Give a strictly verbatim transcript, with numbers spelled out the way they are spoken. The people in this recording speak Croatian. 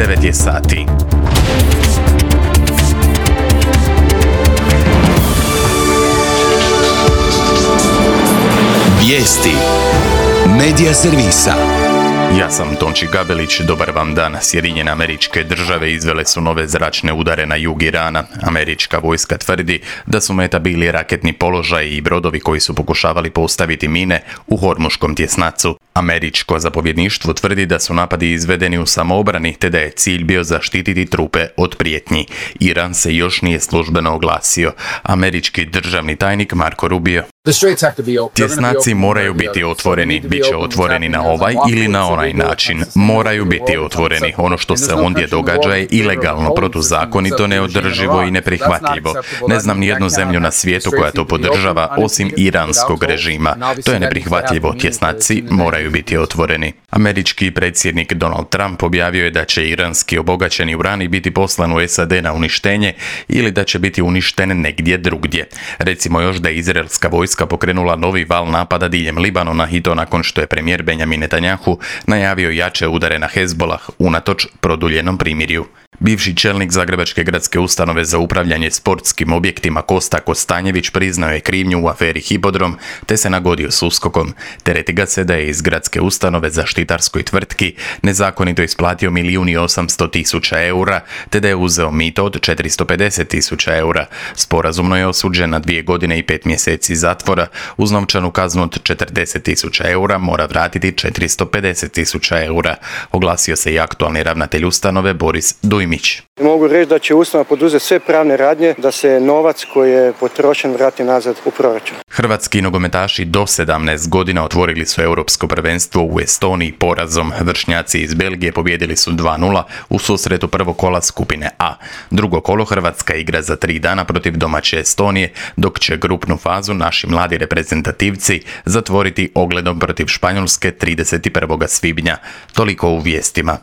devet je sati. Vijesti Medija servisa. Ja sam Tonči Gabelić, dobar vam dan. Sjedinjene Američke Države izvele su nove zračne udare na jug Irana. Američka vojska tvrdi da su meta bili raketni položaji i brodovi koji su pokušavali postaviti mine u Hormuškom tjesnacu. Američko zapovjedništvo tvrdi da su napadi izvedeni u samoobrani te da je cilj bio zaštititi trupe od prijetnji. Iran se još nije službeno oglasio. Američki državni tajnik Marco Rubio: tjesnaci moraju biti otvoreni, bit će otvoreni na ovaj ili na onaj način. Moraju biti otvoreni. Ono što se ondje događa je ilegalno, protuzakonito, neodrživo i neprihvatljivo. Ne znam ni jednu zemlju na svijetu koja to podržava, osim iranskog režima. To je neprihvatljivo. Tjesnaci moraju biti otvoreni. Američki predsjednik Donald Trump objavio je da će iranski obogaćeni urani biti poslan u S A D na uništenje ili da će biti uništen negdje drugdje. Recimo još da je izraelska vojska pokrenula novi val napada diljem Libanona i to nakon što je premijer Benjamin Netanjahu najavio jače udare na Hezbolah unatoč produljenom primirju. Bivši čelnik Zagrebačke gradske ustanove za upravljanje sportskim objektima Kosta Kostanjević priznao je krivnju u aferi Hipodrom te se nagodio s uskokom. Tereti ga se da je iz gradske ustanove zaštitarskoj tvrtki nezakonito isplatio milijun i osamsto tisuća eura te da je uzeo mito od četiristo pedeset tisuća eura. Sporazumno je osuđen na dvije godine i pet mjeseci zatvora. Uz novčanu kaznu od četrdeset tisuća eura mora vratiti četiristo pedeset tisuća eura. Oglasio se i aktualni ravnatelj ustanove Boris Dujmić. Mogu reći da će ustanova poduzeti sve pravne radnje da se novac koji je potrošen vrati nazad u proračun. Hrvatski nogometaši do sedamnaest godina otvorili su europsko prvenstvo u Estoniji porazom. Vršnjaci iz Belgije pobijedili su dva nula u susretu prvog kola skupine A. Drugo kolo Hrvatska igra za tri dana protiv domaće Estonije, dok će grupnu fazu naši mladi reprezentativci zatvoriti ogledom protiv Španjolske trideset prvog svibnja. Toliko u vijestima.